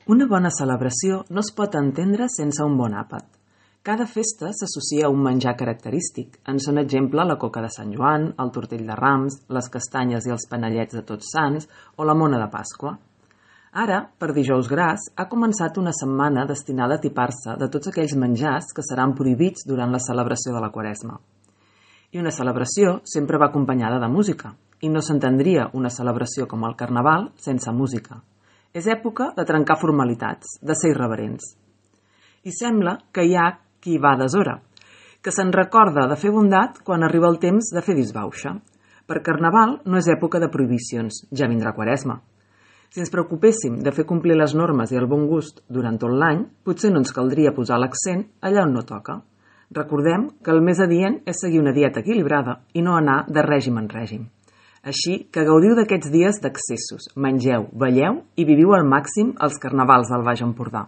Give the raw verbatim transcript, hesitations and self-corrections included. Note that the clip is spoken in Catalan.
Una bona celebració no es pot entendre sense un bon àpat. Cada festa s'associa a un menjar característic. En són exemple la coca de Sant Joan, el tortell de Rams, les castanyes i els panellets de Tots Sants o la mona de Pasqua. Ara, per Dijous Gras, ha començat una setmana destinada a tipar-se de tots aquells menjars que seran prohibits durant la celebració de la Quaresma. I una celebració sempre va acompanyada de música, i no s'entendria una celebració com el Carnaval sense música. És època de trencar formalitats, de ser irreverents. I sembla que hi ha qui va a deshora, que se'n recorda de fer bondat quan arriba el temps de fer disbauxa. Per Carnaval no és època de prohibicions, ja vindrà Quaresma. Si ens preocupéssim de fer complir les normes i el bon gust durant tot l'any, potser no ens caldria posar l'accent allà on no toca. Recordem que el més adient és seguir una dieta equilibrada i no anar de règim en règim. Així que gaudiu d'aquests dies d'accessos, mengeu, balleu i viviu al màxim els carnavals del Baix Empordà.